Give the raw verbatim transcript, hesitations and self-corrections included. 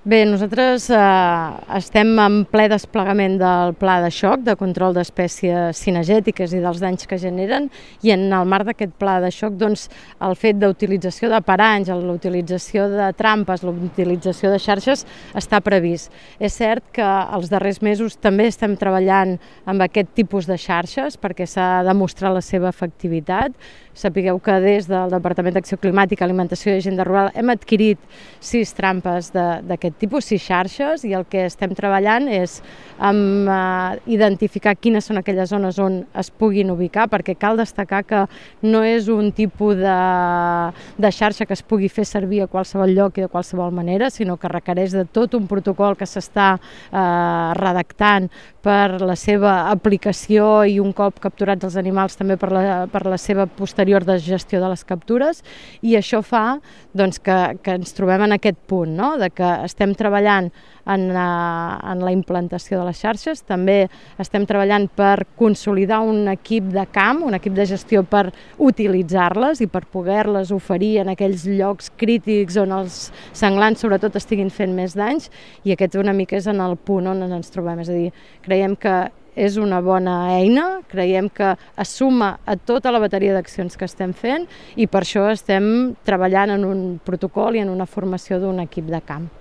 Bé, nosaltres eh, estem en ple desplegament del pla de xoc de control d'espècies cinegètiques i dels danys que generen, i en el marc d'aquest pla de xoc doncs, el fet d'utilització de paranys, l'utilització de trampes, l'utilització de xarxes està previst. És cert que els darrers mesos també estem treballant amb aquest tipus de xarxes perquè s'ha demostrat la seva efectivitat. Sapigueu que des del Departament d'Acció Climàtica, Alimentació i Agenda Rural hem adquirit sis trampes d'aquest tipus, sis xarxes, i el que estem treballant és amb, eh, identificar quines són aquelles zones on es puguin ubicar, perquè cal destacar que no és un tipus de, de xarxa que es pugui fer servir a qualsevol lloc i de qualsevol manera, sinó que requereix de tot un protocol que s'està eh, redactant per la seva aplicació i un cop capturats els animals també per la, per la seva posterior de gestió de les captures, i això fa doncs, que, que ens trobem en aquest punt, no? De que estem treballant en, uh, en la implantació de les xarxes, també estem treballant per consolidar un equip de camp, un equip de gestió per utilitzar-les i per poder-les oferir en aquells llocs crítics on els senglars sobretot estiguin fent més danys, i aquest una mica és en el punt on ens trobem. És a dir, creiem que és una bona eina, creiem que es suma a tota la bateria d'accions que estem fent, i per això estem treballant en un protocol i en una formació d'un equip de camp.